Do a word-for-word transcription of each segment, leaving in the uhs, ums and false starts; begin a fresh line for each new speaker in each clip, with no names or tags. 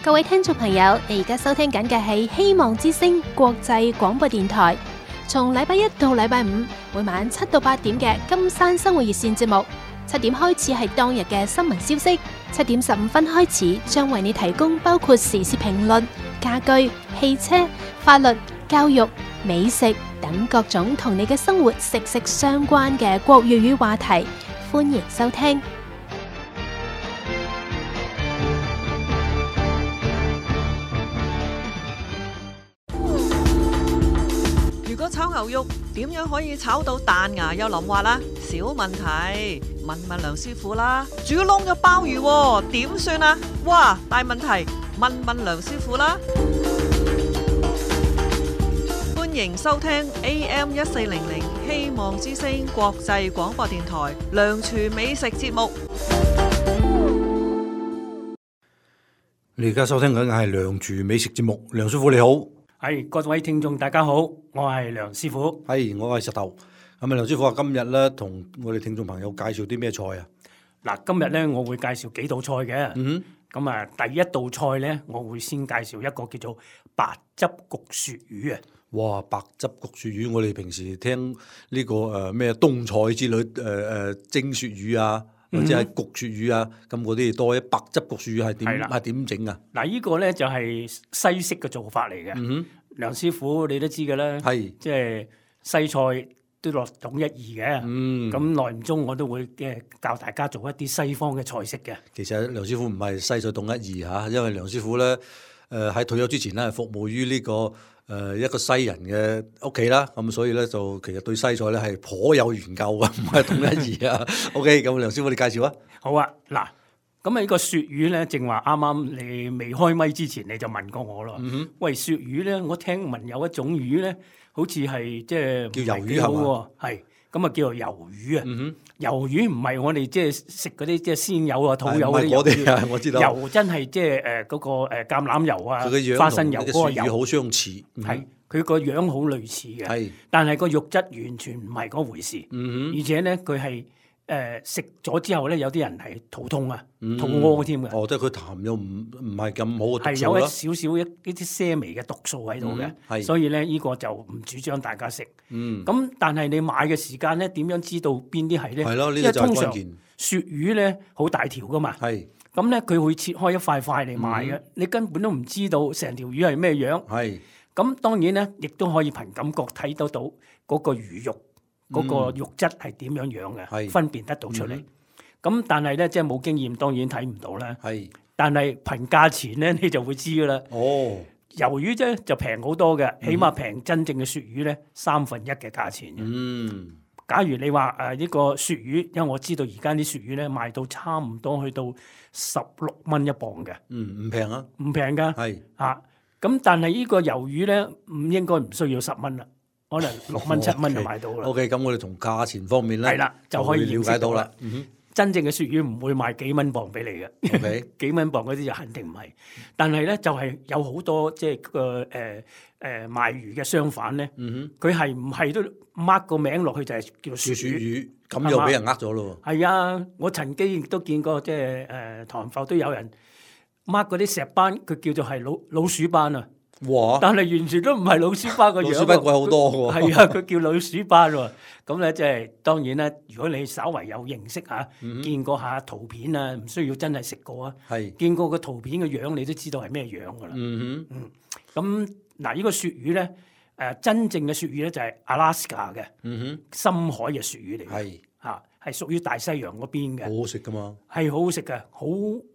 各位聽眾朋友，你而家收聽緊嘅係希望之聲國際廣播電台，從禮拜一到禮拜五每晚七到八點嘅金山生活熱線節目。七點開始係當日嘅新聞消息，七點十五分開始將為你提供包括時事評論、家居、汽車、法律、教育、美食等各種同你嘅生活息息相關嘅國粵語話題，歡迎收聽。
如果炒牛肉點樣可以炒到彈牙又腍滑啦？小問題，問問梁師傅啦。煮燶咗鮑魚點算啊？哇，大問題，問問梁師傅啦。歡迎收聽 A M 一四零零希望之聲國際廣播電台梁廚美食節目。
你而家收聽緊嘅係梁廚美食節目，梁師傅你好。
係各位聽眾大家好，我係梁師傅。
係我係石頭。咁啊，梁師傅啊，今日咧同我哋聽眾朋友介紹啲咩菜啊？
嗱，今日咧我會介紹幾道菜嘅。
嗯
咁啊，第一道菜咧，我會先介紹一個叫做白汁焗鱈魚啊。
哇，白汁焗鱈魚，我哋平時聽呢個誒咩冬菜之類誒誒蒸鱈魚啊，或者係焗鱈魚啊，咁嗰啲多。白汁焗鱈魚係點係點整啊？
嗱，呢個咧就係西式嘅做法嚟嘅。
嗯
梁師傅你都知嘅啦，
係
即係西菜都落統一二嘅。
嗯，
咁耐唔中我都會嘅教大家做一啲西方嘅菜式嘅。
其實梁師傅唔係西菜統一二嚇，因為梁師傅咧誒喺退休之前咧係服務於呢、這個誒、呃、一個西人嘅屋企啦，咁所以咧就其實對西菜咧係頗有研究嘅，唔係統一二啊。OK，咁梁師傅你介紹啊？
好啊，嗱。咁啊！呢個鱈魚咧，正話啱啱你未開咪之前，你就問過我咯。嗯、哼喂，鱈魚咧，我聽聞有一種魚咧，好似係即係
叫魷魚係嘛？
係咁啊，叫做魷魚啊。
嗯、哼
魷魚唔係我哋即係食嗰啲即係鮮魷啊、土魷嗰啲
魷魚啊，我知道。魷
真係即係誒嗰個誒橄欖油啊、花生油嗰個魷
好相似。
係佢個樣好類似嘅，
係
但係個肉質完全唔係嗰回事。
嗯、
而且咧，佢係。誒食咗之後咧，有啲人係肚痛啊，嗯、肚屙添嘅。
哦，即係佢痰又唔唔係咁好嘅毒素啦。
係有一少少一呢啲些微嘅毒素喺度嘅，嗯、所以咧呢、呢個就唔主張大家食。嗯，咁但係你買嘅時間咧，點樣知道邊啲係咧？
係咯，呢、呢個就係關鍵。
鱈魚咧好大條噶嘛，係咁咧佢會切開一塊塊嚟賣嘅，嗯、你根本都唔知道成條魚係咩樣。係咁當然咧，亦都可以憑感覺睇得到嗰個魚肉。嗰個肉質係點樣樣嘅，是分辨得到出嚟。咁、嗯、但係咧，即係冇經驗，當然睇唔到啦。係是，但係憑價錢咧，你就會知噶啦。哦，魷魚啫就平好多嘅，起碼平真正嘅鱈魚咧三分一嘅價錢。嗯，假如你話誒呢個鱈魚，因為我知道而家啲鱈魚咧賣到差唔多去到十六蚊一磅嘅。嗯，唔平啊，唔平㗎。係是啊，咁但係呢個魷魚咧，唔應該唔需要十蚊啦。可能六蚊七蚊就買到啦。
O K，咁我哋從價錢方面咧，
係啦，就可以了解到啦。
嗯、哼
真正嘅鱈魚唔會賣幾蚊磅俾你嘅。Okay. 幾蚊磅嗰啲就肯定唔係。但係咧就係、是、有好多即係個誒誒賣魚嘅商販咧，佢係唔係都 mark 個名落去就係叫鱈魚？
咁又俾人呃咗咯。
係啊，我曾經亦都見過，即係誒塘埠都有人 mark 嗰啲石斑，佢叫做係老老鼠斑啊。哇！但係完全都唔係老鼠斑個樣，
老鼠斑貴好多喎。
係啊，佢叫老鼠斑喎。咁咧即係當然啦。如果你稍為有認識嚇，嗯、見過下圖片啊，唔需要真係食過啊。係是見過個圖片嘅樣，你都知道係咩樣噶啦。嗯哼。嗯。咁嗱，呢個鱈魚咧，誒真正嘅鱈魚咧就係 Alaska 嘅，嗯哼，深海嘅鱈魚嚟嘅。係嚇是，係屬於大西洋嗰邊嘅。
好好食噶嘛？係
好好食嘅，好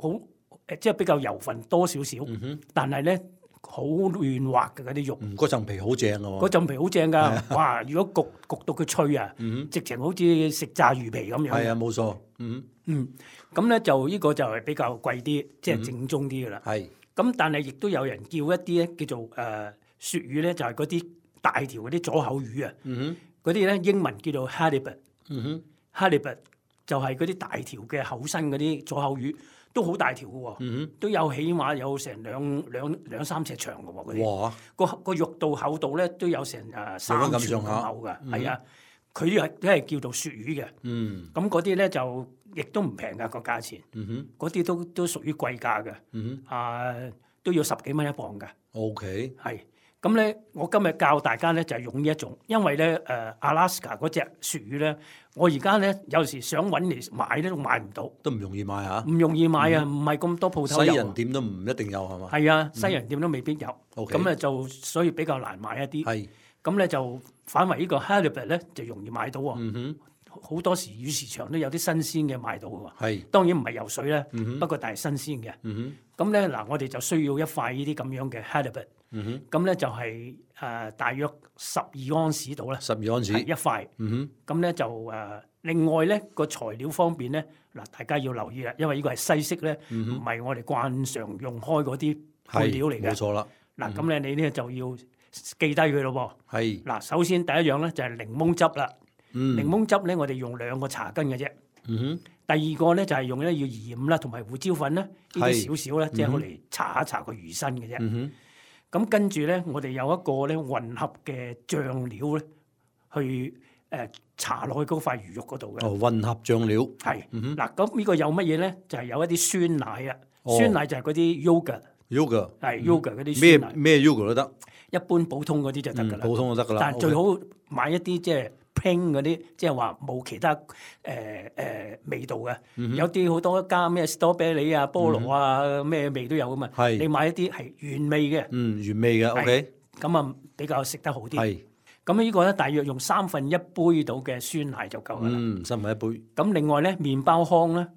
好誒，即係比較油份多少少。嗯、哼但係咧。好嫩滑嘅嗰啲肉，
嗰層、嗯、皮好正嘅喎，
嗰層皮好正噶，哇！如果焗焗到佢脆啊，嗯、哼直情好似食炸魚皮咁樣。係啊，
冇錯。嗯
嗯，咁咧就呢個就係比較貴啲，即係正宗啲嘅啦。係、嗯。咁但係亦都有人叫一啲咧叫做誒鱈、呃、魚咧，就係嗰啲大條嗰啲左口魚啊。嗯哼。嗰啲咧英文叫做 halibut。嗯哼。halibut 就係嗰啲大條嘅厚身嗰啲左口魚。都好大條嘅喎，嗯、都有起碼有成兩兩兩三尺長嘅喎，嗰啲哇個個肉度厚度咧都有成誒三寸咁厚嘅，係啊，佢係都係叫做鱈魚嘅，咁嗰啲咧就亦都唔平㗎個價錢，嗰啲、嗯、哼都都屬於貴價嘅，嗯、哼啊都要十幾蚊一磅㗎。
OK，
係咁咧，我今日教大家咧就係用呢一種，因為咧誒阿拉斯加嗰隻鱈魚咧，我而家咧有時想揾嚟買咧都買唔到，
都唔容易買嚇，
唔容易買啊，唔係咁多鋪頭有。
西人店都唔一定有係嘛？
係啊，西人店都未必有。
OK，
咁咧就所以比較難買一啲。
係
咁咧就反為呢個 halibut 咧就容易買到喎。
嗯哼，
好多時魚市場都有啲新鮮嘅賣到嘅喎。
係
當然唔係游水咧，
嗯哼
不過但係新鮮嘅。
嗯
咁咧嗱，我哋就需要一塊呢啲咁樣嘅 halibut。
哼嗯哼，
咁咧就係、誒、大約十二安士到啦，
十二安士
係一塊。
嗯
咁咧就誒、另外咧個材料方面咧，嗱大家要留意啦，因為呢個係西式咧，唔係、我哋慣常用開嗰啲
哼，
配料嚟嘅。
冇錯啦，
嗱咁咧你咧就要記低佢咯
係
喎。嗱，首先第一樣咧就係檸檬汁啦。
嗯
檸檬汁咧我哋用兩個茶羹嘅啫。
嗯哼，
第二個咧就係用咧要鹽啦，同埋胡椒粉啦，呢
係
啲少少咧，即係我嚟搽一搽個魚身嘅啫。
嗯哼，
咁跟住咧，我哋有一個咧混合嘅醬料咧，去誒搽落去嗰塊魚肉嗰度嘅。
哦，混合醬料，
係
嗯哼
嗱，咁呢個有乜嘢咧？就係有一啲酸奶啊，
哦
酸奶就係嗰啲 yogurt，
yogurt
係 yogurt 嗰啲
咩
酸奶，
咩 yogurt 都得，
一般普通嗰啲就得
嗯
㗎啦。
普通就得㗎啦。
但係最
OK，
好買一啲即係 plain 嗰啲，即係話冇其他誒誒味道嘅。
嗯
有啲好多加咩 strawberry 啊、菠蘿啊，咩味都有㗎嘛。
係
你買一啲係原味嘅，
嗯原味嘅，OK，
咁啊比較食得好啲。
係
咁呢個咧，大約用三分一杯到嘅酸奶就夠㗎啦。
嗯三分一杯，
咁另外咧，麵包糠咧，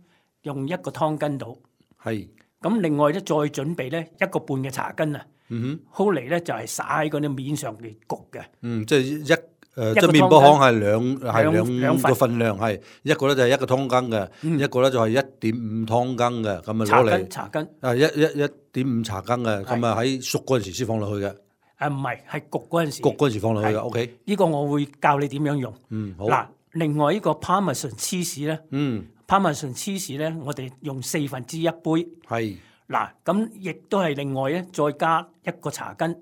用一個湯羹到。
係
咁另外咧，再準備咧一個半嘅茶羹啊，
嗯
好嚟咧就係灑喺嗰啲面上邊焗嘅。
哼，嗯即係一誒
一
即係
個湯羹
麵包糠係兩係
兩
兩
兩份
個份量係一個咧就係一個湯羹嘅，
嗯
一個咧就係一點五湯羹嘅，咁啊
茶
攞嚟
羹茶羹，
啊一一一點五茶羹嘅，咁啊喺熟嗰陣時先放落去嘅，
誒唔係係焗嗰陣時。
焗嗰陣時放落去嘅
係
，OK，
呢個我會教你點樣用。
嗯好，
嗱，另外呢個 Parmesan cheese 咧
嗯
，Parmesan cheese 咧，我哋用四分之一杯。
係，
嗱，咁亦都係另外咧，再加一個茶羹，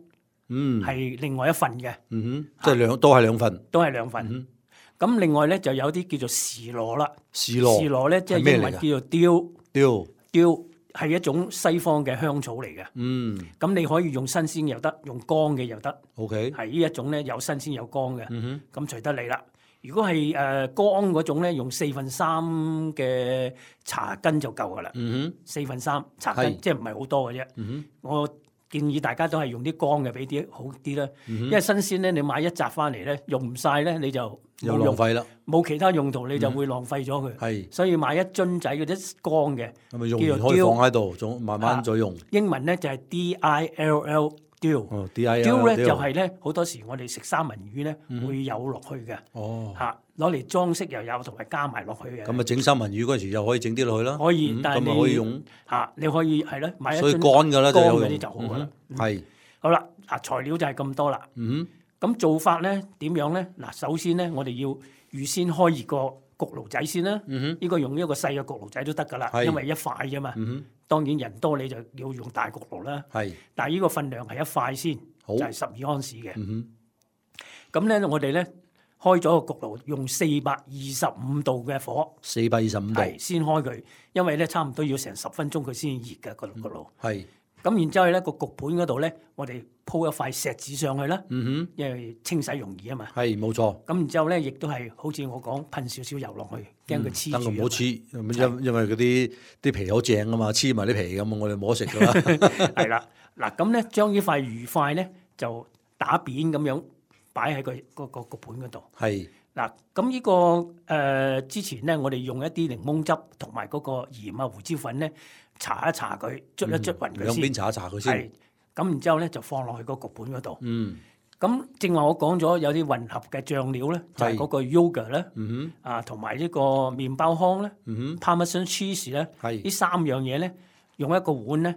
嗯
係另外一份嘅，
嗯哼，即係兩都係兩份，
都係兩份。
嗯
咁另外咧就有啲叫做士羅啦，
士羅
士羅咧即係
係咩嚟㗎
英文叫做雕，
雕，
雕係一種西方嘅香草嚟嘅。
嗯
咁你可以用新鮮又得，用乾嘅又得，
OK，
係呢一種咧有新鮮有乾嘅。
嗯
咁隨得你啦。如果係誒乾嗰種咧，用四分三嘅茶羹就夠噶啦。
哼嗯
四分三茶羹
係
即係唔係好多嘅啫。
哼嗯
我建議大家都係用啲乾嘅俾啲好啲啦。
哼
因為新鮮咧，你買一紮翻嚟咧，用唔晒咧，你就
又
冇用，
浪費啦，
冇其他用途，你就會浪費咗佢。
係
所以買一樽仔嗰啲乾嘅，
咁咪用完
叫做雕
可以放喺度，仲慢慢再用。
英文咧就係 D I L L 雕。
哦，D I
雕
L
咧就係咧好多時我哋食三文魚咧會有落去嘅。
哦，
嚇，攞嚟裝飾又有，同埋加埋落去嘅。
咁啊整三文魚嗰陣時又可以整啲落去啦。
可以
嗯咁啊
但係你
可以用，
嚇，你可以係咯，買一
所以
樽
乾㗎啦就
乾嗰啲
有用
就好噶啦。
嗯哼係，
好啦，嗱材料就係咁多啦。
嗯
咁做法咧點樣咧？嗱，首先咧我哋要預先開熱個焗爐仔先啦。
嗯哼，
呢個用一個細嘅焗爐仔都得噶啦，
係
因為一塊啫嘛。
嗯
當然人多你就要用大焗爐啦。
哼，係，
但係呢個份量係一塊先，
好
就係十二安士嘅。
嗯哼，
咁咧我哋咧開咗個焗爐，用四百二十五度嘅火。
四百二十五度，
係先開佢，因為咧差唔多要成十分鐘佢先熱嘅個焗爐。
係，
咁然之後咧個焗盤嗰度咧，我哋鋪一塊錫紙上去啦，
嗯
因為清洗容易啊嘛。
哼，係冇錯。
咁然之後咧，亦都係好似我講噴少少油落去，驚佢黐住啊嘛。
等佢唔好黐，因因為嗰啲啲皮好正啊嘛，黐埋啲皮咁，我哋冇得食噶啦。
係啦，嗱咁咧將呢塊魚塊咧就打扁咁樣擺喺個嗰個焗盤嗰度。
係，
嗱，咁呢個誒、呃、之前咧，我哋用一啲檸檬汁同埋嗰個鹽啊、胡椒粉咧，搽一搽佢，捽一捽勻佢先。
兩邊搽一搽佢先。
係，咁然之後咧就放落去個焗盤嗰度。
嗯，
咁正話我講咗有啲混合嘅醬料咧，就係、
係
嗰個 yogurt 咧，
嗯
啊同埋呢個麵包糠咧
哼，嗯
，Parmesan cheese 咧，
哼，係，
呢三樣嘢咧，用一個碗咧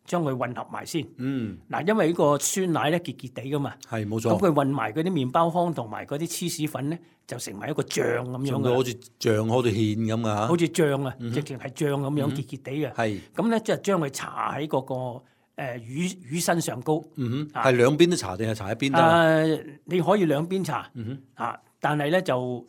將佢混合埋先。
嗯，
嗱，因為呢個酸奶咧結結地噶嘛，咁
係冇錯。
佢混埋嗰啲麵包糠同埋嗰啲芝士粉咧，就成為一個醬咁樣嘅，
仲到好似醬好似芡咁噶
好
嚇。
似醬啊，直情係醬咁樣結結地嘅。
係，
咁咧即係將佢搽喺嗰個誒魚魚身上高。
嗯哼，
啊
係兩邊都搽定係搽一邊得啊？
誒，你可以兩邊搽
嗯哼，
啊，但係咧就唔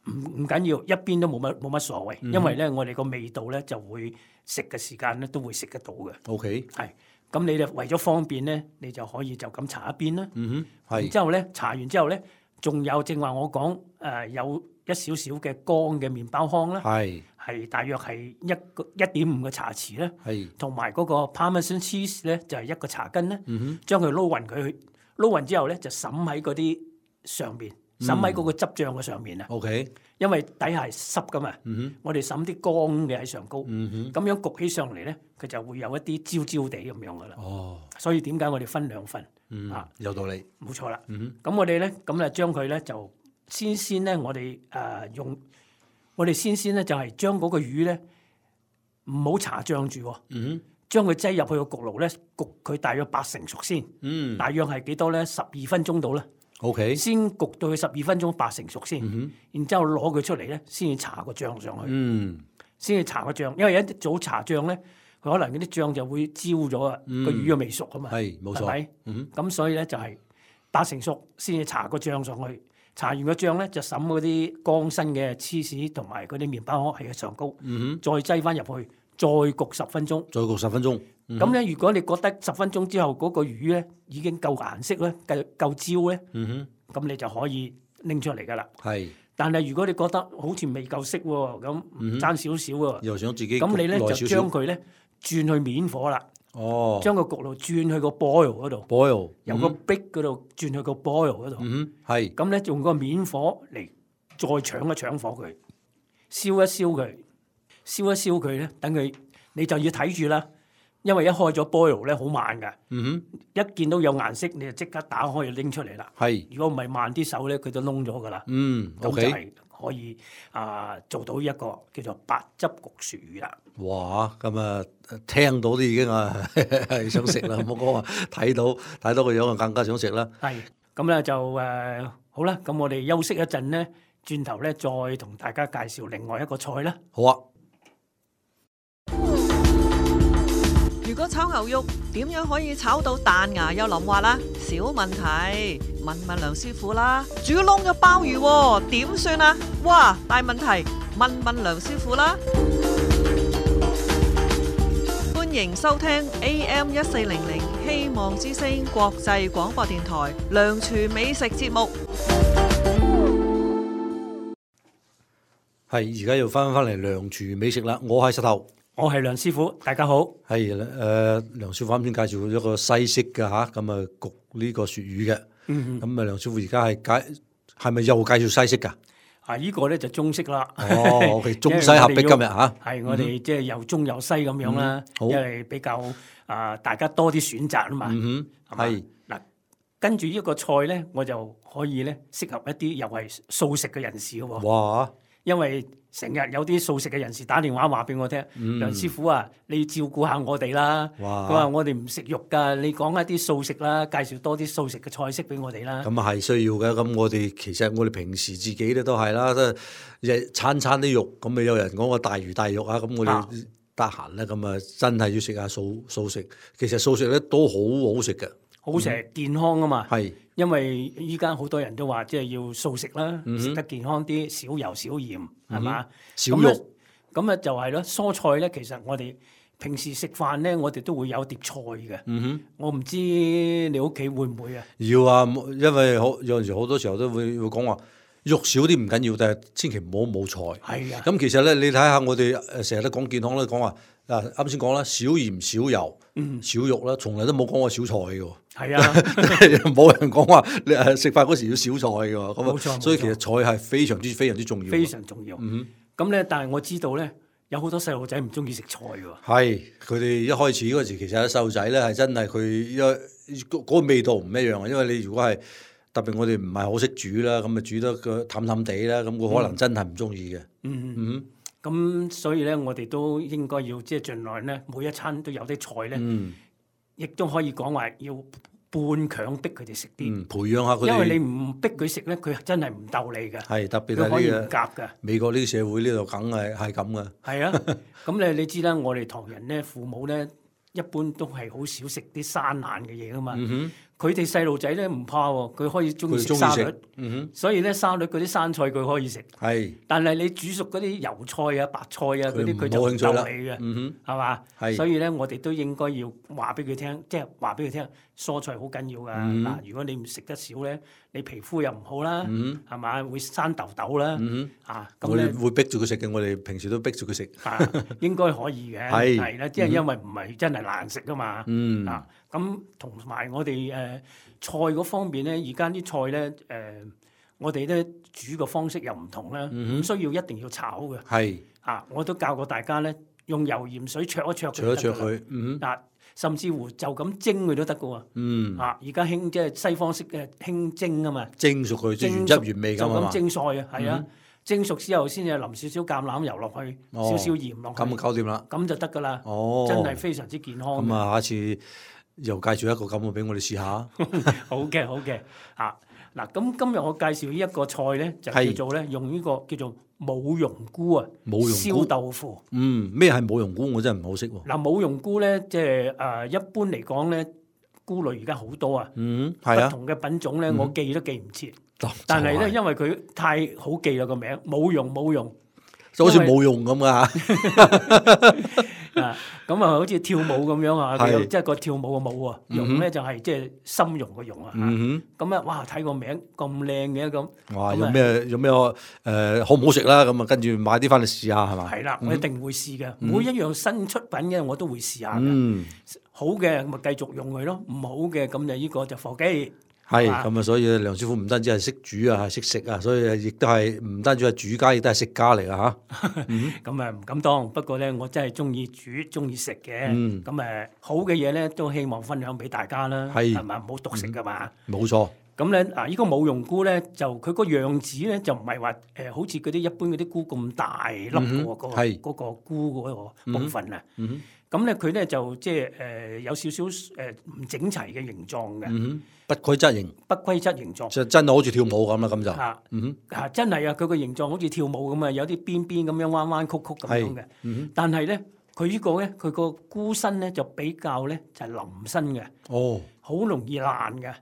唔緊要，一邊都冇乜冇乜所謂，因為咧我哋個味道咧就會食嘅時間咧都會食得到嘅。
OK，
係咁你就為咗方便咧，你就可以就咁搽一邊啦。
嗯哼，係。
然之後咧，搽完之後咧，仲有正話我講誒、呃、有一少少嘅乾嘅麵包糠啦，
係
係大約係一個一點五個茶匙咧，
係
同埋嗰個 Parmesan cheese 咧就係、是、一個茶根咧，
嗯哼，
將佢撈勻佢，撈勻之後咧就滲喺嗰啲上邊，滲喺嗰個汁醬嘅上面啊。
OK，
因為底下係濕噶嘛，
嗯哼，
我哋滲啲乾嘅喺上高，咁、
嗯哼，
樣焗起上嚟咧，佢就會有一啲焦焦地咁樣噶啦。
哦，
所以點解我哋分兩份？
嗯
啊，
有道理。
冇錯啦。
嗯
咁我哋咧，咁咧將佢咧就先先咧，我哋誒、呃、用，我哋先先咧就係將嗰個魚咧唔好搽醬住喎，
嗯
將佢擠入去個焗爐咧焗佢大約八成熟先，
嗯
大約係幾多咧？十二分鐘到啦。
，OK，
先焗到佢十二分鐘八成熟先，
嗯哼，
然之後攞佢出嚟咧，先至搽個醬上去，
嗯
先至搽個醬，因為一早搽醬咧，佢可能嗰啲醬就會焦咗啊，個、
嗯
魚又未熟啊嘛，
係冇錯
係咪？
嗯
咁所以咧就係八成熟先至搽個醬上去，搽完個醬咧就滲嗰啲乾身嘅芝士同埋嗰啲麵包糠喺上高，
嗯
再擠翻入去，再焗十分鐘。
哼，再焗十分鐘。
咁咧、如果你覺得十分鐘之後嗰個魚咧已經夠顏色咧，夠夠焦咧，
嗯
咁你就可以拎出嚟噶啦。
哼，係
但係如果你覺得好似未夠色喎，咁爭少少喎，
又想自己
咁你咧就
焗耐少少
將佢咧轉去面火啦，
哦
將個焗爐轉去個 boil 嗰度，
，boil
由個壁嗰度轉去個 boil 嗰度。
嗯哼，係
咁咧用個面火嚟再搶一搶火佢，燒一燒佢，燒一燒佢咧，等佢你就要睇住啦，因為一開咗 boil 咧好慢㗎，
嗯
一見到有顏色你就即刻打開就拎出嚟啦。
哼，係
如果唔係慢啲手咧，佢就燶咗㗎啦。
嗯
咁就
，OK，
係可以啊、做到一個叫做白汁焗鱈魚啦。
哇，咁啊聽到都已經啊係想食啦，唔好講話睇到睇到個樣啊更加想食啦。
係咁咧就誒、呃好啦，咁我哋休息一陣咧，轉頭咧再同大家介紹另外一個菜啦。
好啊。
如果炒牛肉點樣可以炒到彈牙又腍滑啦？小問題，問問梁師傅啦。煮燶咗鮑魚喎，點算啊？哇，大問題，問問梁師傅啦。歡迎收聽 A M 一四零零希望之聲國際廣播電台梁廚美食節目。
係而家又翻返嚟梁廚美食啦，我係石頭。
我係梁師傅，大家好。
係誒、呃，梁師傅啱先介紹咗個西式嘅嚇，咁啊焗呢個鱈魚嘅。咁啊、
嗯，
梁師傅而家係介係咪又介紹西式㗎？
啊，依、這個咧就中式啦。
哦，OK，中西合璧今日嚇。
係我哋即係又中又西咁樣啦，
好
因為比較啊、大家多啲選擇啊嘛。
嗯哼，係
嗱，跟住呢個菜咧，我就可以咧適合一啲又係素食嘅人士嘅喎。
哇！
因為成日有啲素食嘅人士打電話話俾我聽，梁師傅啊，你要照顧下我哋啦。佢
哇！
話我哋唔食肉㗎，你講一啲素食啦，介紹多啲素食嘅菜式俾我哋啦。
咁啊係需要嘅。咁我哋其實我哋平時自己咧都係啦，即係日餐餐啲肉。咁啊有人講個大魚大肉啊，咁我哋得閒咧咁啊真係要食下素素食。其實素食咧都好好食嘅，
好食健康啊嘛。
係
因為依家好多人都話即係要素食啦，
嗯哼
食得健康啲，少油少鹽，係嘛？
少肉。
咁啊就係咯，蔬菜咧，其實我哋平時食飯咧，我哋都會有碟菜嘅。
嗯哼。
我唔知你屋企會唔會啊？
要啊，因為好有陣時好多時候都會會講話肉少啲唔緊要，但係千祈唔好冇菜。
係啊。
咁其實咧，你睇下我哋誒成日都講健康啦，講話嗱啱先講啦，少鹽少油，
嗯
少肉啦，從來都冇講過少菜嘅喎。
係啊，
冇人講話你誒食飯嗰時要少菜嘅喎。咁啊
冇錯
所以其實
冇錯
菜係非常之非常之重要。
非常重要。
嗯
咁咧，但係我知道咧，有好多細路仔唔中意食菜喎。
係佢哋一開始嗰時，其實細路仔咧係真係佢一嗰個味道唔一樣啊。因為你如果係特別我哋唔係好識煮啦，咁啊煮得個淡淡地啦，咁佢可能真係唔中意嘅。
嗯，
嗯
咁所以咧，我哋都應該要即係盡量咧，每一餐都有啲菜咧，
嗯
亦都可以講話要半強逼佢哋食啲。
嗯，培養下佢哋。
因為你唔逼佢食咧，佢真係唔鬥你嘅。
係特別
佢可以唔
係呢
夾嘅。
個美國呢個社會呢度梗係係咁嘅。
係啊，咁你你知啦，我哋唐人咧，父母咧一般都係好少食啲生冷嘅嘢噶嘛。
嗯
佢哋細路仔咧唔怕喎，佢可以中意食沙律，
嗯、
所以咧沙律嗰啲生菜佢可以食。
係，
但係你煮熟嗰啲油菜啊、白菜啊嗰啲，佢就唔夠味嘅，
嗯
係嘛？
係，
所以咧我哋都應該要話俾佢聽，即係話俾佢聽，蔬菜好緊要㗎。嗱、嗯，如果你唔食得少咧，你皮膚又唔好啦，係、嗯、嘛？會生痘痘啦，
嗯、
啊
咁咧會逼住佢食嘅，我哋平時都逼住佢食。
啊，應該可以嘅，係啦，即係因為唔係真係難食㗎嘛。嗯、啊，咁同埋我哋誒、呃、菜嗰方面咧，而家啲菜咧誒、呃，我哋咧煮嘅方式又唔同啦，唔、嗯、需要一定要炒嘅。係啊，我都教過大家咧，用油鹽水焯一焯佢，
焯一焯佢。嗯
啊，甚至乎就咁蒸佢都得㗎喎。嗯。啊，而家興即係西方式嘅興蒸啊嘛。
蒸熟佢，即係原汁原味㗎嘛。
就咁蒸菜啊，係啊。蒸熟之後先至淋少少橄欖油落去，哦、少少鹽落去，
咁搞掂啦，
咁就得噶啦。哦，真係非常之健康。
咁啊，下次又介紹一個咁嘅俾我哋試下。
好嘅，好嘅。啊，嗱，咁今日我介紹呢一個菜咧，就叫做咧用呢個叫做舞茸菇啊，燒豆腐。
嗯，咩係舞茸菇？我真係唔好識喎。
嗱，舞茸菇咧，即係誒一般嚟講咧，菇類而家好多啊。
嗯，係啊。
不同嘅品種咧，
嗯、
我記都記唔切。但係咧，因為佢太好記啦個名，舞茸舞茸，
就好似舞茸咁噶
啊，咁啊，好似跳舞咁樣啊，即係個跳舞嘅舞啊，茸咧就係即係深茸嘅茸啊。咁啊，哇！睇個名咁靚嘅咁，
哇！有咩有咩誒好唔好食啦？咁啊，跟住買啲翻嚟試下係嘛？
係啦，我一定會試嘅，每一樣新出品嘅我都會試下嘅。好嘅咪繼續用佢咯，唔好嘅咁就呢個就貨機。
係咁啊，所以梁師傅唔單止係識煮啊，係識食啊，所以亦都係唔單止係煮家，亦都係食家嚟啊嚇。
咁啊唔敢當，不過咧我真係中意煮，中意食嘅。咁誒、嗯、好嘅嘢咧都希望分享俾大家啦，係咪？唔好獨食噶嘛。冇、嗯、錯。咁咧啊，呢、呢個舞茸菇咧就佢個樣子咧就唔係話誒好似嗰啲一般嗰啲菇咁大粒嘅喎，嗰個嗰個菇嗰個部分啊。嗯嗯咁咧佢咧就即係誒有少少誒唔整齊嘅形狀嘅、嗯，
不規則形，
不規則形狀，
就真係好似跳舞咁啦，咁就
嚇，嗯嚇真係啊！佢個形狀好似跳舞咁啊，有啲邊邊咁樣彎彎曲曲咁樣嘅，嗯、但係咧佢呢個咧佢個菇身咧就比較咧就係腍身嘅，哦，好容易爛嘅，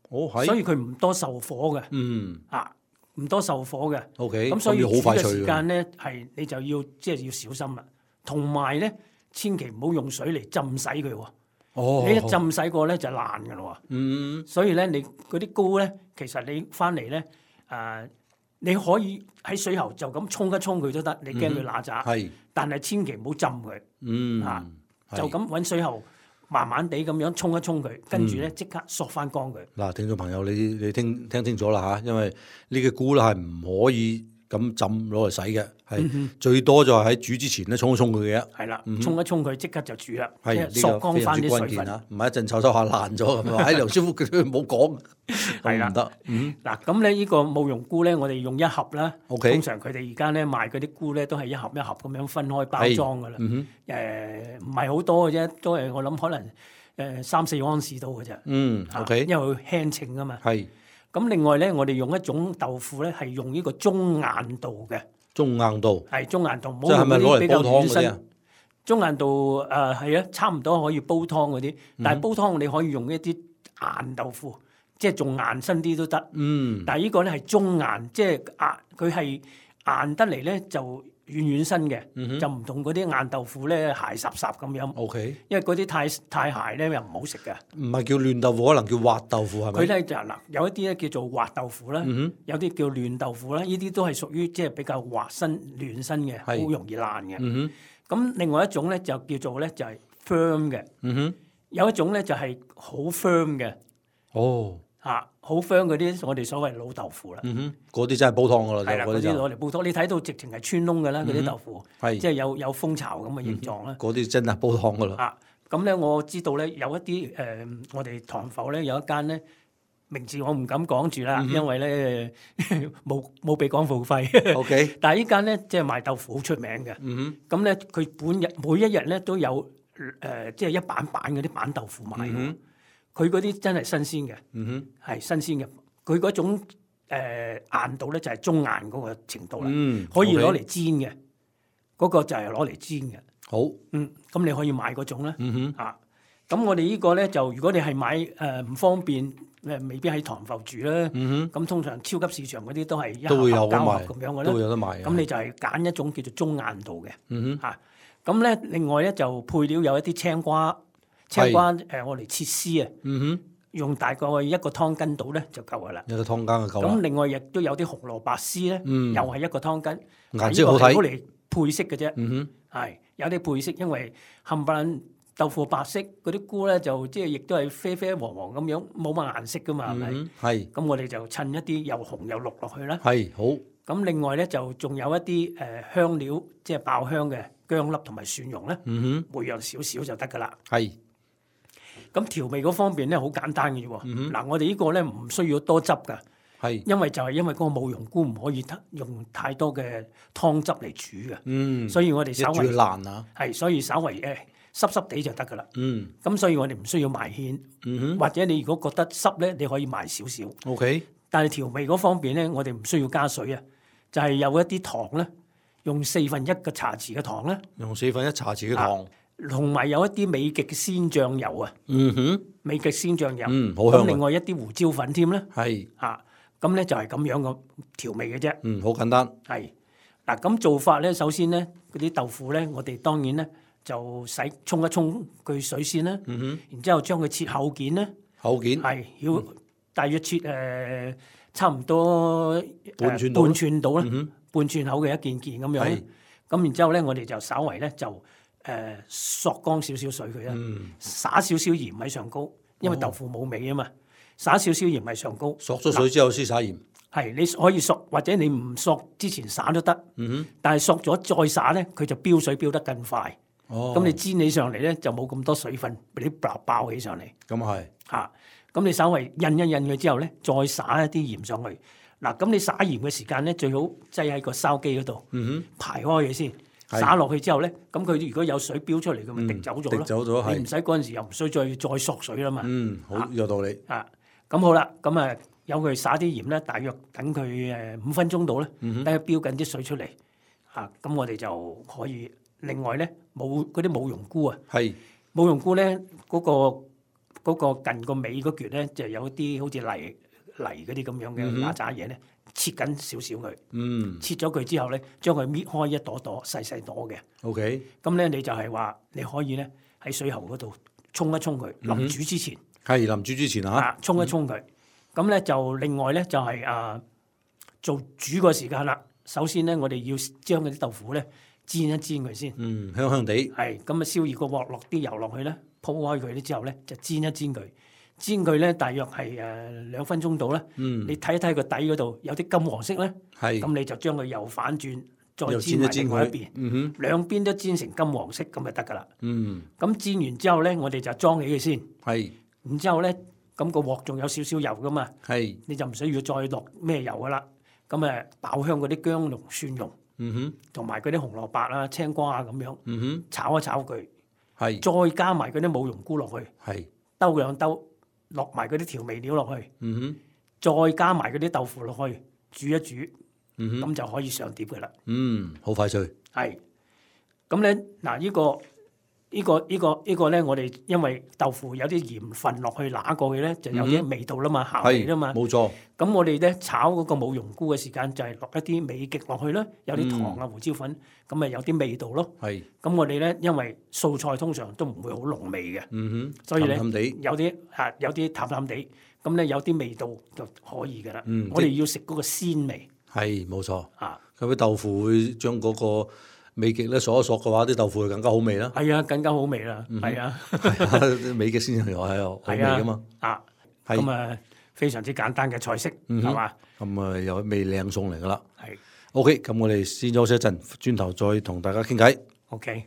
哦係，所以佢唔多受火嘅，嗯啊唔多受火嘅
，OK，
咁所以煮嘅時間咧係你就要即係、就是、要小心啦，同埋咧。千祈唔好用水嚟浸洗佢喎，哦、你一浸洗過咧就爛㗎咯喎。嗯，所以咧你嗰啲菇咧，其實你翻嚟咧，誒、呃、你可以喺水喉就咁沖一沖佢都得，你驚佢乸渣。係、嗯，但係千祈唔好浸佢。嗯，嚇、啊，就咁揾水喉慢慢地咁樣沖一沖佢，跟住咧即刻索翻乾佢。嗱、嗯，
聽眾朋友，你你聽聽清楚啦嚇，因為呢個菇咧係唔可以咁浸攞嚟洗嘅，係、嗯、最多就係喺煮之前咧沖一沖佢嘅。係啦，沖一沖佢即刻就煮啦，即係索乾翻啲水分啊！
唔
係一陣臭臭下爛咗咁啊！喺梁師傅佢唔好講，係啦唔得。
嗱咁咧，呢個舞茸菇咧，我哋用一盒啦。Okay. 通常佢哋而家咧賣嗰啲菇咧，都係一盒一盒咁樣分開包裝噶啦。誒唔係好多嘅啫，都係我諗可能誒三四盎司到嘅啫。嗯，OK，因為佢輕稱啊嘛。係。咁另外咧，我哋用一種豆腐咧，係用呢個中硬度嘅。中硬度係中硬度，唔好用嗰啲比較軟身。中硬度誒係啊，差唔多可以煲湯嗰啲，嗯、但係煲湯你可以用一啲硬豆腐，即係仲硬身啲都得。嗯，但係呢個咧係中硬，即係硬，佢係硬得嚟咧就軟軟身嘅，嗯、就唔同嗰啲硬豆腐咧鞋濕濕咁樣。O K，因為嗰啲太太鞋咧又唔好食嘅。
唔係叫嫩豆腐，可能叫滑豆腐係咪？
佢咧就嗱，有一啲咧叫做滑豆腐啦，嗯、有啲叫嫩豆腐啦，呢啲都係屬於即係比較滑身、嫩身嘅，好容易爛嘅。嗯咁另外一種咧就叫做咧就係 firm 嘅，嗯哼，有一種咧就係好 firm 嘅，哦，嚇好 firm 嗰啲我哋所謂老豆腐啦，嗯哼，
嗰啲真係煲湯噶啦，
係啦，嗰啲攞嚟煲湯，你睇到直情係穿窿嘅啦，嗰啲豆腐，係即係有有蜂巢咁嘅形狀啦，
嗰啲真係煲湯噶啦。
啊，咁咧我知道咧有一啲誒，我哋塘埠咧有一間咧。名字我唔敢講住啦，嗯、因為咧冇冇俾廣告費。O K， 但係呢間咧即係賣豆腐好出名嘅。咁咧佢本日每一日咧都有誒、呃，即係一板板嗰啲板豆腐賣。佢嗰啲真係新鮮嘅，係、嗯、新鮮嘅。佢嗰種、呃、硬度咧就係中硬嗰個程度啦，嗯、可以攞嚟煎嘅。嗰、嗰個就係攞嚟煎嘅。好，嗯，咁你可以買嗰種啦。嗯哼，啊。咁我哋呢個咧就如果你係買誒唔方便誒，未必喺塘埠住啦。
嗯
咁通常超級市場嗰啲都係一
都會有
盒膠盒
賣
咁樣嘅啦，
都會有得賣嘅
咁你就係揀一種叫做中硬度嘅。
嗯哼，
嚇，咁咧另外咧就配料有一啲青瓜，青瓜誒我嚟切絲啊，
嗯哼，
用大概一個湯羹度咧就夠噶啦。
一個湯羹就夠啦。
咁另外亦都有啲紅蘿蔔絲咧，
嗯
又係一個湯羹，
顏色好睇
呢個係攞嚟配色嘅啫。
嗯
係有啲配色，因為冚唪唥豆腐白色，嗰啲菇咧就即係亦都係啡啡黃黃咁樣，冇乜顏色噶嘛，係咪、
哼，係
咁我哋就襯一啲又紅又綠落去啦。
係好，
咁另外咧就仲有一啲誒、呃、香料，即係爆香嘅薑粒同埋蒜蓉咧，
嗯
每樣少少就得噶啦。
哼，係
咁調味嗰方面咧好簡單嘅啫喎。
嗯
嗱、我哋呢個咧唔需要多汁噶，
係，
因為就係因為嗰個冇蓉菇唔可以用太多嘅湯汁嚟煮嘅，
嗯，
所以我哋
一煮
稍微
爛啊，
係，所以稍微誒濕濕地就得噶啦。
嗯
咁所以我哋唔需要埋芡，
嗯
或者你如果覺得濕咧，你可以埋少少。
哼，OK，
但係調味嗰方面咧，我哋唔需要加水啊，就係、有一啲糖咧，用四分一個茶匙嘅糖咧，
用四分一茶匙嘅糖，
同埋有一啲美極鮮醬油啊，
嗯哼，
美極鮮醬油，
嗯好香啊
咁另外一啲胡椒粉添咧，
係，
啊，咁咧就係咁樣嘅調味嘅啫。
嗯，好簡單，
係嗱，咁做法咧，首先咧嗰啲豆腐咧，我哋當然咧就洗沖一沖佢水先啦，
嗯哼，
然之後將佢切厚件咧。
口件，
係要大約切誒、呃、差唔多、呃、
半寸到啦
半寸到啦，
嗯哼，
半寸口嘅一件件咁樣
係
咧。咁然之後咧，我哋就稍為咧就誒、呃、索乾少少水佢啦，
嗯，
灑少少鹽喺上高，因為豆腐冇味啊嘛，灑少少鹽喺上高。
索咗水之後先灑鹽，
係你可以索，或者你唔索之前灑都得，
嗯哼，
但係索咗再灑咧，佢就飆水飆得更快。
哦，
咁、你煎起上嚟咧就冇咁多水分俾你爆爆起上嚟。
咁係，
嚇，咁、你稍微印一印佢之後咧，再灑一啲鹽上去。嗱，咁你灑鹽嘅時間咧，最好擠喺個燒機嗰度，
嗯
排開佢先。
係
灑落去之後咧，咁佢如果有水飆出嚟，佢咪
嗯
滴走咗咯。
滴走咗係
你唔使嗰陣時又唔需再再索水啦嘛。
哼，嗯，好有道理，
啊，咁好啦，咁啊有佢灑啲鹽咧，大約等佢誒五分鐘到咧，
嗯
等佢飆緊啲水出嚟。啊，咁我哋就可以另外咧冇嗰啲冇蓉菇啊。
係，
冇蓉菇咧，嗰、個嗰個近個尾嗰橛咧，就有啲好似泥泥嗰啲咁樣嘅嗱喳嘢咧，切緊少少佢，
嗯
切咗佢之後咧，將佢搣開一朵朵細細朵嘅，
，OK，
咁咧你就係話你可以咧喺水喉嗰度沖一沖佢，臨煮之前
係臨煮之前啊，
啊沖一沖佢，咁咧就另外咧就係、啊做煮個時間啦。首先咧，我哋要將嗰啲豆腐咧煎一煎佢先。
嗯，香香地，
係咁啊，燒熱個鑊，落啲油落去咧，鋪開佢咧之後咧，就煎一煎佢。煎佢咧，大約係誒兩分鐘到啦。
嗯，
你睇一睇個底嗰度有啲金黃色咧，
係，
咁你就將佢又反轉，再
又
煎埋
煎
另外一邊，
嗯哼，
兩邊都煎成金黃色咁就得噶啦。
嗯，
咁煎完之後咧，我哋就裝起佢先。
係，
然之後咧，咁個鑊仲有少少油噶嘛，
係，
你就唔需要再落咩油噶啦。咁誒爆香嗰啲薑蓉、蒜蓉
嗯哼，
同埋嗰啲紅蘿蔔啊、青瓜啊咁樣
嗯哼，
炒一炒佢。
係，
再加埋嗰啲冇蓉菇落去，
係，
兜兩兜，落埋嗰啲調味料落去，
嗯哼，
再加埋嗰啲豆腐落去，煮一煮，咁、
嗯哼，
就可以上碟嘅啦。
嗯，好快脆，
係，咁咧嗱，呢、個呢、個呢、個呢、個咧，我哋因為豆腐有啲鹽分落去揦過去咧，就有啲味道啦嘛，鹹味啦嘛。
冇錯，
咁我哋咧炒嗰個冇蓉菇嘅時間就係落一啲美極落去啦，有啲糖啊、胡椒粉，咁咪有啲味道咯。
係，
咁我哋咧因為素菜通常都唔會好濃味嘅。
嗯哼，
所以咧
淡淡地，
有啲啊有啲淡淡地，咁咧有啲味道就可以嘅啦。
嗯
我哋要食嗰個鮮味
係冇錯，
啊，
咁啲豆腐會將嗰個美極咧索一索嘅話，啲豆腐會更加好味啦。
係啊，更加好味啦，
嗯
係啊，
係啊，美極先係係好味
係啊
噶嘛。
啊，
係
咁啊非常之簡單嘅菜式，
嗯哼
係嘛？
咁啊，又味靚餸嚟噶啦。
係
OK，咁我哋先休息一陣，轉頭再同大家傾偈。
OK。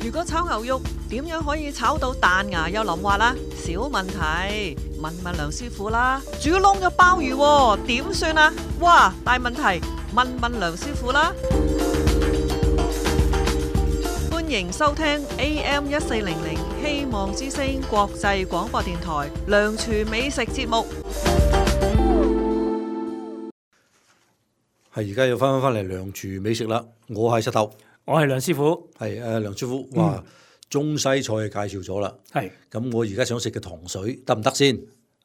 如果炒牛肉點樣可以炒到彈牙又腍滑啦？小問題，問問梁師傅啦。煮燶咗鮑魚喎，點算啊？哇，大問題，問問梁師傅啦。歡迎收聽 A M 一四零零希望之聲國際廣播電台梁廚美食節目。
係而家要翻返翻嚟梁廚美食啦，我係石頭。
我係梁師傅。
係誒，梁師傅話中西菜介紹咗啦。係。咁我而家想食嘅糖水得唔得先？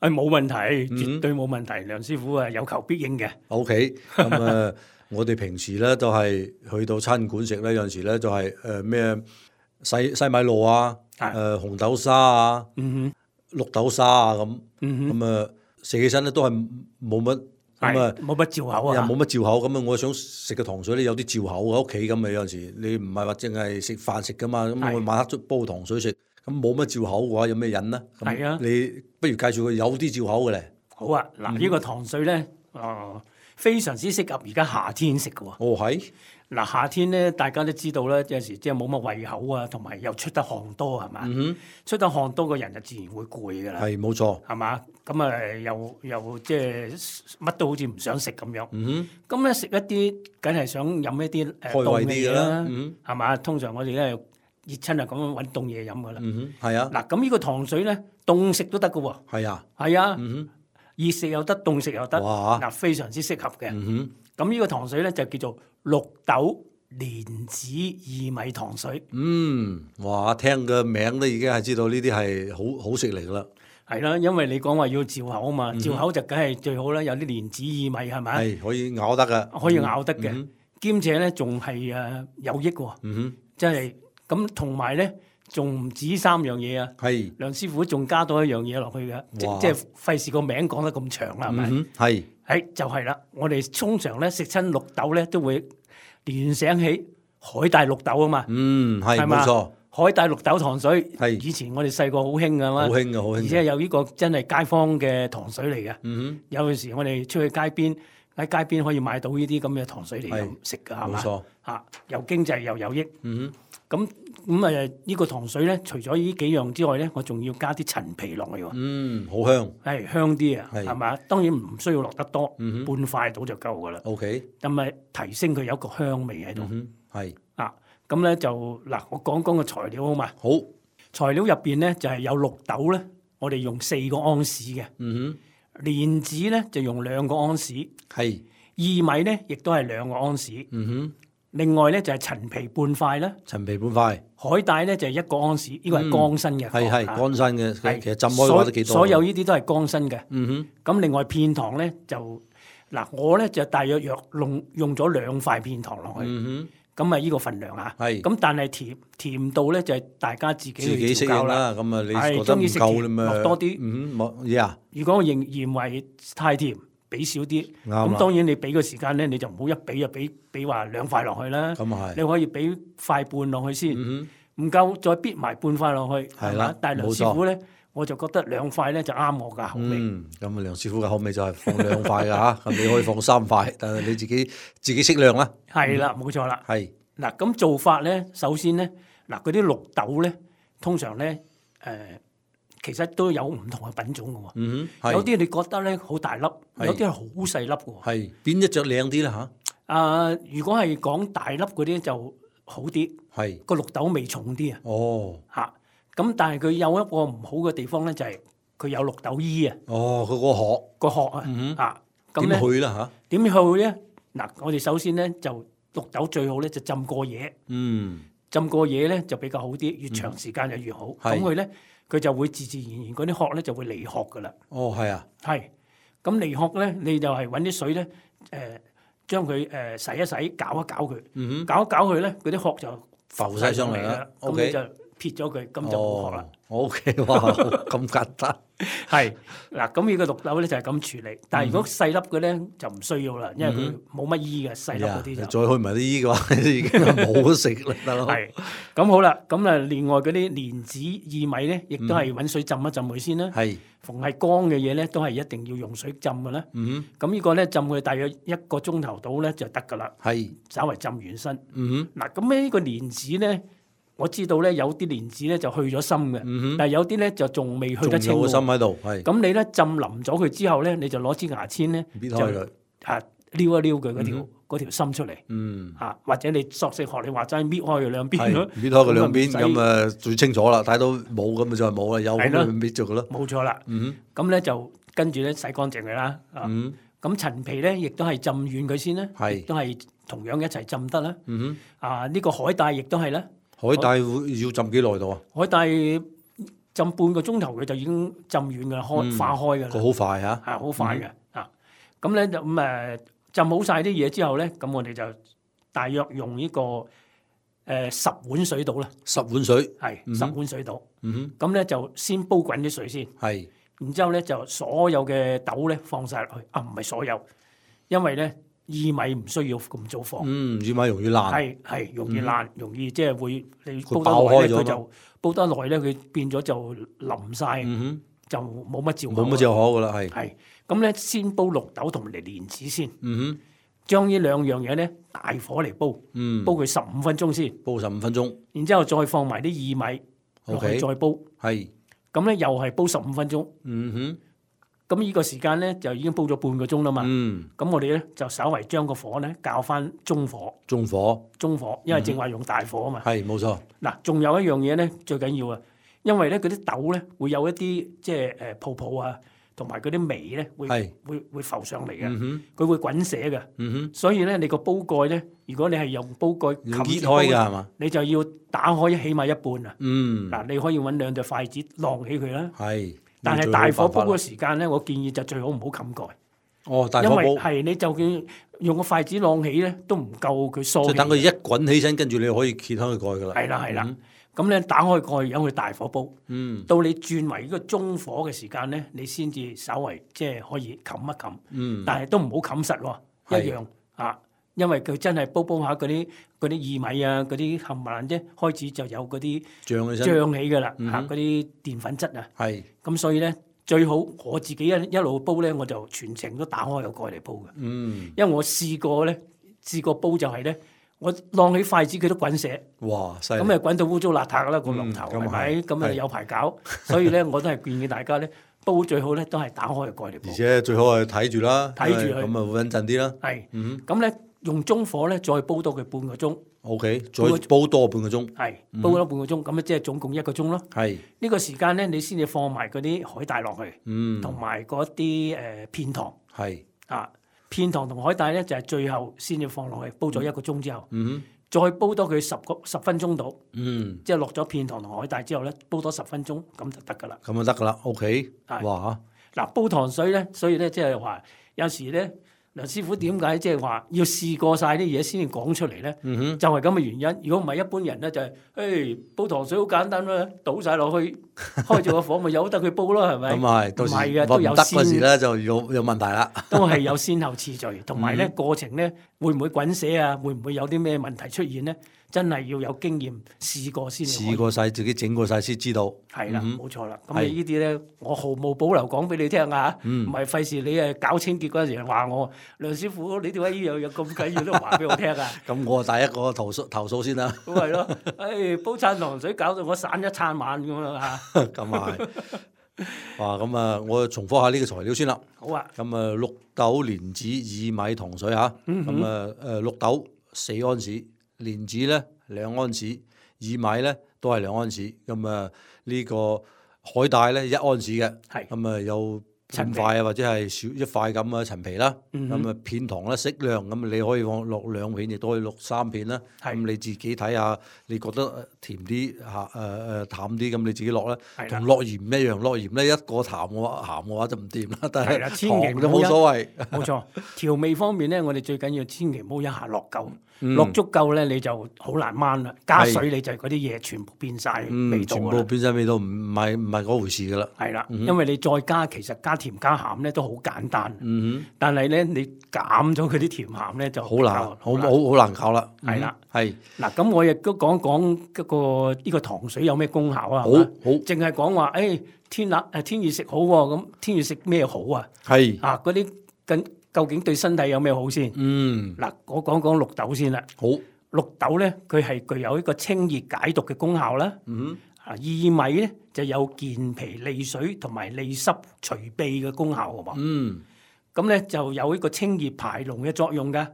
誒冇問題，絕對冇問題。梁師傅啊，有求必應嘅。
O K，咁誒，我哋平時咧都係去到餐館食咧，有陣時咧就係誒咩西西米露啊，誒紅豆沙啊，綠豆沙啊咁，咁啊食起身咧都係冇乜咁啊，
冇乜嚼口啊，
又冇乜嚼口咁啊！我想食嘅糖水咧有啲嚼口喺屋企咁啊，有陣時你唔係話淨係食飯食噶嘛，咁我晚黑煲糖水食。咁冇乜嚼口嘅話，有咩癮呢？係啊，你不如介紹佢有啲嚼口嘅咧。
好啊，嗱、嗯，呢個糖水咧，哦，非常之適合而家夏天食嘅喎。
哦，係。
嗱，夏天咧，大家都知道咧，有時即係冇乜胃口啊，同埋又出得汗多係嘛？嗯、出得汗多嘅人就自然會攰㗎啦。
係，冇錯。
係嘛？咁啊，又又即係乜都好似唔想食咁樣。嗯咁咧食一啲，梗係想飲一啲誒凍嘅嘢啦。嗯係嘛？通常我哋咧。熱親啊，咁樣揾凍嘢飲噶啦。嗯哼，係啊。嗱，咁呢個糖水咧，凍食都得噶喎。係啊，係啊。嗯哼，熱食又得，凍食又得。哇！嗱，非常之適合嘅。嗯哼，咁呢個糖水咧就叫做綠豆蓮子薏米糖水。嗯，
哇！聽個名都已經係知道呢啲係好好食嚟噶啦。
係啦，因為你講話要嚼口啊嘛，嚼口就梗係最好啦。有啲蓮子薏米係咪？係
可以咬得噶，
可以咬得嘅，兼且咧仲係誒有益喎。嗯哼，即係。咁同埋咧，仲唔止三樣嘢啊？係梁師傅仲加多一樣嘢落去嘅，即即係費事個名講得咁長啦，係咪？係，係就係啦。我哋通常咧食親綠豆咧，都會聯想起海帶綠豆啊嘛。嗯，係冇錯。海帶綠豆糖水係以前我哋細個好興㗎嘛。好興㗎，好興。而且有呢個真係街坊嘅糖水嚟嘅。嗯哼，有陣時我哋出去街邊喺街邊可以買到呢啲咁嘅糖水嚟飲食㗎，係嘛？冇錯。嚇，又經濟又有益。嗯哼。咁咁誒呢個糖水咧，除咗呢幾樣之外咧，我仲要加啲陳皮落去喎。嗯，好香。係香啲啊，係嘛？當然唔需要落得多，嗯、半塊到就夠噶啦。OK。咁咪提升佢有一個香味喺度。嗯哼，係。啊，咁咧就嗱，我講講個材料好嘛？好。材料入邊咧就係、是、有綠豆咧，我哋用四個安士嘅。嗯哼。蓮子咧就用兩個安士。係。薏米咧亦都係兩個安士。嗯哼。另外咧就係陳皮半塊啦，陳皮半塊，海帶咧就係一個安士，呢個係乾身嘅，係係乾身嘅，其實浸開嘅話都幾多。所有呢啲都係乾身嘅。嗯哼。咁另外片糖咧就嗱，我咧就大約約用用咗兩塊片糖落去。嗯哼。咁啊，呢個份量啊。係。咁但係甜甜度咧就係大家自己去調校啦。咁啊，你覺得唔夠咧，咪落多啲。嗯哼，冇嘢啊。如果我認認為太甜，俾少啲，咁當然你俾個時間咧，你就唔好一俾就俾俾話兩塊落去啦。咁係，你可以俾塊半落去先，唔夠再逼埋半塊落去，係嘛？但係梁師傅咧，我就覺得兩塊咧就啱我㗎口味。嗯，咁啊，梁師傅嘅口味就係放兩塊㗎嚇，咁你可以放三塊，但係你自己自己適量啦。係啦，冇錯啦。係嗱，咁做法咧，首先咧，嗱嗰啲綠豆咧，通常咧，誒。其實都有唔同嘅品種嘅喎，嗯、有啲你覺得咧好大粒，有啲係好細粒嘅喎。係邊一隻靚啲咧嚇？啊，如果係講大粒嗰啲就好啲，係個綠豆味重啲啊。哦，嚇，咁但係佢有一個唔好嘅地方咧，就係佢有綠豆衣啊。哦，佢個殼個殼啊，嗯、啊，點去啦嚇？點去咧？嗱，我哋首先咧就綠豆最好咧就浸過夜，嗯，浸過夜咧就比較好啲，越長時間就越好。咁佢咧。佢就會自自然然嗰啲殼咧就會離殼噶啦。哦，係啊，係。咁離殼咧，你就係揾啲水咧，誒、呃，將佢誒洗一洗，攪一攪佢，嗯、哼攪一攪佢咧，嗰啲殼就浮晒上嚟啦。咁 Okay. 你就撇咗佢，咁就冇殼啦。O K，哇，咁簡單。係嗱，咁呢個綠豆咧就係咁處理。但係如果細粒嘅咧就唔需要啦，因為佢冇乜衣嘅細粒嗰啲就。再去埋啲衣嘅話，已經冇得食啦，得咯。係咁好啦，咁啊另外嗰啲蓮子薏米咧，亦都係揾水浸一浸佢先啦。係，逢係乾嘅嘢咧，都係一定要用水浸嘅啦。嗯，咁呢個咧浸佢大約一個鐘頭到咧就得噶啦。係，稍為浸完身。嗯哼，嗱咁呢個蓮子咧。我知道咧有啲蓮子咧就去咗心嘅，嗯、哼但係有啲咧就仲未去得清。仲有個心喺度，係。咁你咧浸腍咗佢之後咧，你就攞支牙籤咧，就啊撩一撩佢嗰條嗰、嗯、條心出嚟。嗯。啊，或者你索性學你話齋搣開佢兩邊咯。搣開佢兩邊，咁啊最清楚啦，睇到冇咁咪就係冇啦，有咁咪搣咗佢咯。冇錯啦。嗯。咁咧就跟住咧洗乾淨佢啦。嗯。咁陳皮咧亦都係浸軟佢先啦。係。都係同樣一齊浸得啦。
嗯
啊，呢個海帶亦都係啦。
哼，海帶會要浸幾耐度啊？
海帶浸半個鐘頭佢就已經浸軟噶啦，開化開噶啦。
佢好快嚇，
係好快嘅啊！咁咧就咁誒浸好晒啲嘢之後咧，咁我哋就大約用呢個誒十碗水度啦。
十碗水
係十碗水度。
嗯哼，
咁咧就先煲滾啲水先。
係。
然之後咧就所有嘅豆咧放晒落去，啊唔係所有，因為咧薏米唔需要咁早放。
嗯，薏米容易爛。
係係容易爛，容易即係會你煲
爆開咗
得耐咧，佢就煲得耐咧，佢變咗就腍晒，
嗯
就冇乜嚼口。
冇乜嚼口噶啦，係。
係咁咧，先煲綠豆同埋蓮子先。
嗯哼，
將呢兩樣嘢咧大火嚟煲，
嗯，
煲佢十五分鐘先。
煲十五分鐘。
然之後再放埋啲薏米落去
OK
再煲。
係。
咁咧又係煲十五分鐘。
嗯哼。
咁呢個時間咧就已經煲咗半個鐘啦嘛。
嗯。
咁我哋咧就稍為將個火咧校翻中火。
中火。
中火，因為正話用大火啊嘛。
係冇錯。
嗱，仲有一樣嘢咧最緊要啊，因為咧嗰啲豆咧會有一啲即係誒泡泡啊，同埋嗰啲味咧會會會浮上嚟嘅。嗯哼。佢會滾瀉嘅。嗯哼。所以咧你個煲蓋咧，如果你係用煲蓋冚
揭開㗎係嘛？
你就要打開起碼一半啊。
嗯。
嗱，你可以揾兩對筷子晾起佢啦。
係。
但係大火煲嘅時間咧，我建議就最好唔好冚蓋。
哦，大火煲。
因為係你就算用個筷子晾起咧，都唔夠佢疏氣。
即係等佢一滾起身，跟住你可以揭開佢蓋㗎啦。
係啦係啦，咁咧打開蓋，由佢大火煲。
嗯。
到你轉為呢個中火嘅時間咧，你先至稍為即係可以冚一冚。
嗯。
但係都唔好冚實喎，一樣啊。因為佢真係煲煲下嗰啲嗰啲薏米啊，嗰啲冚唪唥啫，開始就有嗰啲
脹起身，
脹起㗎啦，嚇嗰啲澱粉質啊。
係。咁
所以咧，最好我自己一一路煲咧，我就全程都打開個蓋嚟煲嘅。
嗯。因
為我試過咧，試過煲就係咧，我晾起筷子佢都滾瀉。
哇！犀利。
咁啊滾到污糟邋遢啦個龍頭係咪？咁啊有排搞，所以咧我都係建議大家咧。煲最好咧，都係打開個蓋嚟煲。
而且最好係睇住啦，
睇住佢，
咁啊會穩陣啲啦。
係，咁咧用中火咧，再煲多佢半個鐘。
O K，再煲多半個鐘。
係，煲多半個鐘，咁咧即係總共一個鐘咯。
係。
呢個時間咧，你先至放埋嗰啲海帶落去，
嗯，
同埋嗰啲誒片糖。
係。
啊，片糖同海帶咧就係最後先至放落去，煲咗一個鐘之後。
嗯。
再煲多佢十個十分鐘度，
嗯，
即係落咗片糖同海帶之後咧，煲多十分鐘咁就得噶啦。
咁就得噶啦 ，OK。哇！
嗱，煲糖水咧，所以咧即係話有時咧，梁師傅點解即係話要試過晒啲嘢先至講出嚟咧？
嗯哼，
就係咁嘅原因。如果唔係一般人咧，就係、是、誒煲糖水好簡單啦，倒晒落去，開住個火咪由得佢煲咯，係咪？
咁係，到時
唔係嘅，都有先。
嗰時咧就有有問題啦。
都係有先後次序，同埋咧過程咧會唔會滾瀉啊？會唔會有啲咩問題出現咧？真係要有經驗試過先。
試過晒，自己整過晒先知道。
係啦，冇錯啦。咁你呢啲咧，我毫無保留講俾你聽啊！唔係費事你誒搞清潔嗰陣時話我梁師傅，你點解呢樣嘢咁緊要都話俾我聽啊？
咁我第一個投訴投訴先啦。
咁係咯，誒煲餐糖水搞到我散一餐晚咁樣嚇。
咁啊係。哇！咁啊，我重複下呢個材料先啦。
好啊。
咁啊，綠豆、蓮子、薏米、糖水嚇。咁啊誒，綠豆四安士。蓮子咧兩安士，薏米咧都係兩安士，咁啊呢個海帶咧一安士嘅，咁啊有半塊啊或者係少一塊咁啊陳皮啦，咁啊片糖咧適量，咁你可以放落兩片，亦都可以落三片啦。咁你自己睇下，你覺得甜啲嚇誒誒淡啲，咁你自己落啦。同落鹽唔一樣，落鹽咧一個淡嘅話鹹嘅話就唔掂啦。但係糖就冇所謂。
冇錯，調味方面咧，我哋最緊要千祈唔好一下落夠。落足夠咧，你就好難掹啦。加水你就嗰啲嘢全部變晒味道，
全部變晒味道，唔係唔係嗰回事噶啦。
係啦，因為你再加，其實加甜加鹹咧都好簡單。但係咧你減咗佢啲甜鹹咧就
好難，好好好難搞啦。
係啦，
係
嗱，咁我亦都講講嗰個呢個糖水有咩功效啊？
好好，
淨係講話誒天冷誒天熱食好喎，咁天熱食咩好啊？
係
啊嗰啲跟。究竟對身體有咩好先？
嗯，
嗱，我講講綠豆先啦。
好，
綠豆咧，佢係具有一個清熱解毒嘅功效啦。
嗯，
啊，薏米咧就有健脾利水同埋利濕除痹嘅功效喎。
嗯，
咁咧就有一個清熱排膿嘅作用㗎。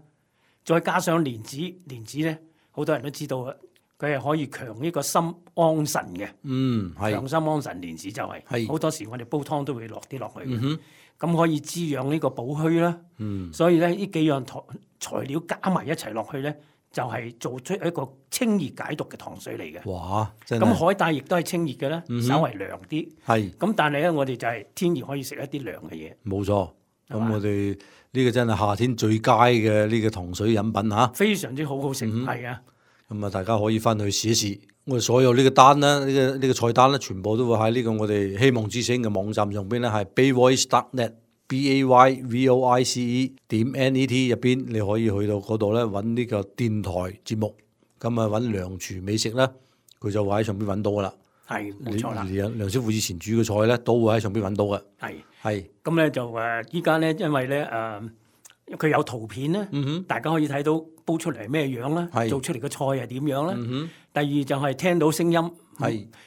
再加上蓮子，蓮子咧好多人都知道啊，佢係可以強呢個心安神嘅。
嗯，係
強心安神蓮子就係、是。
係。
好多時我哋煲湯都會落啲落去。
嗯哼。
咁可以滋養呢個補虛啦。
嗯，
所以咧呢幾樣材材料加埋一齊落去咧，就係、是、做出一個清熱解毒嘅糖水嚟嘅。
哇！真係
咁海帶亦都係清熱嘅啦，
嗯、
稍為涼啲。
係。
咁但係咧，我哋就係天然可以食一啲涼嘅嘢。
冇錯。咁我哋呢個真係夏天最佳嘅呢個糖水飲品嚇。
非常之好好食，係、嗯、啊。
咁啊，大家可以翻去試一試。我哋所有呢個單咧，呢、呢個呢、呢個菜單咧，全部都會喺呢個我哋希望之聲嘅網站上邊咧，係 bayvoice dot net，b a y v o i c e 點 n e t 入邊，你可以去到嗰度咧揾呢個電台節目，咁啊揾梁廚美食咧，佢就會喺上邊揾到噶啦。
係，冇錯啦。
梁梁師傅以前煮嘅菜咧，都會喺上邊揾到嘅。
係
係。
咁咧就誒，依家咧因為咧誒。呃佢有圖片咧、嗯，大家可以睇到煲出嚟係咩樣啦，做出嚟嘅菜係點樣啦、嗯。第二就係聽到聲音，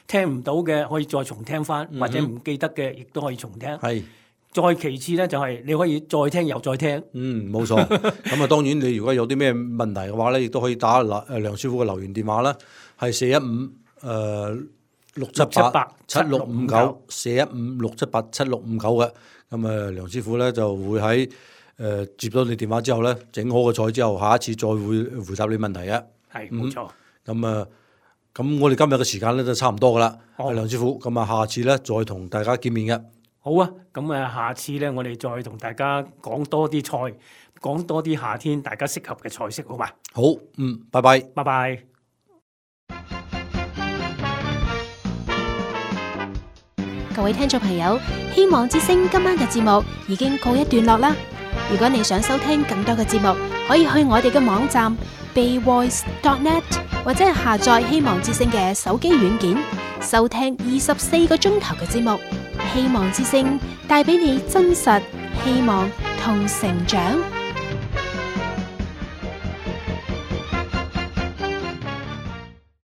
聽唔到嘅可以再重聽翻、嗯，或者唔記得嘅亦都可以重聽。再其次咧就係你可以再聽又再聽。
嗯，冇錯。咁啊，當然你如果有啲咩問題嘅話咧，亦都可以打誒梁師傅嘅留言電話啦，係四一五誒六七八七六五九，四一五六七八七六五九嘅。咁啊，梁師傅咧就會喺。誒、呃、接到你電話之後咧，整好個菜之後，下一次再會回答你問題嘅。
係冇錯。
咁啊，咁我哋今日嘅時間咧都差唔多噶啦。阿梁師傅，咁啊，下次咧再同大家見面嘅。
好啊，咁啊，下次咧我哋再同大家講多啲菜，講多啲夏天大家適合嘅菜式，好嘛？
好，嗯，拜拜，
拜拜。
各位聽眾朋友，希望之聲今晚嘅節目已經告一段落啦。如果你想收聽更多嘅節目，可以去我哋嘅網站 bayvoice dot net 或者係下載希望之聲嘅手機軟件，收聽二十四個鐘頭嘅節目。希望之聲帶俾你真實、希望同成長。